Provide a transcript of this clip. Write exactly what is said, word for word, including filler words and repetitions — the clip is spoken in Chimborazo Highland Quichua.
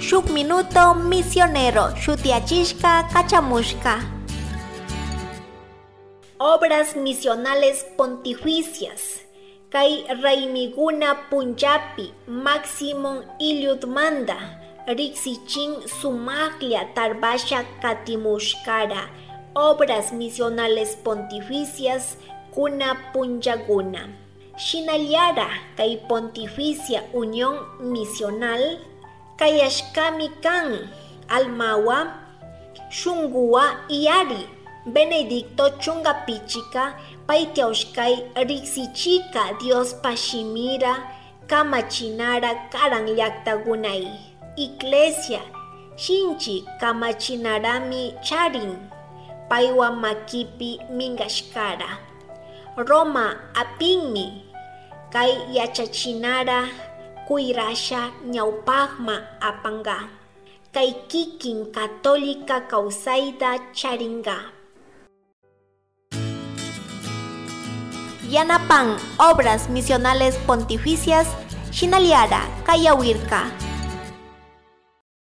Shuk Minuto Misionero shutiachishka kachamushka. Obras Misionales Pontificias kay raymiguna punllapi Máximo Iliudmanda riksichin sumaqlla tarbasha katimushkara Obras Misionales Pontificias kuna punllakuna. Shinallara kay Pontificia Unión Misional kayashkami kan almawa shunguwa iyari Benedicto chunga pichika paytiawshkay riksichika Diospa shimira kamachinara karan llaktakunay. Iglesia shinchi kamachinarami charin paywa makipi minkashkara. Roma apinmi kay yachachinara kuyrasha ñawpaqma apanka. Kay kikin católica kawsayta charinka. Yanapan Obras Misionales Pontificias Shinaliara Kayawirka.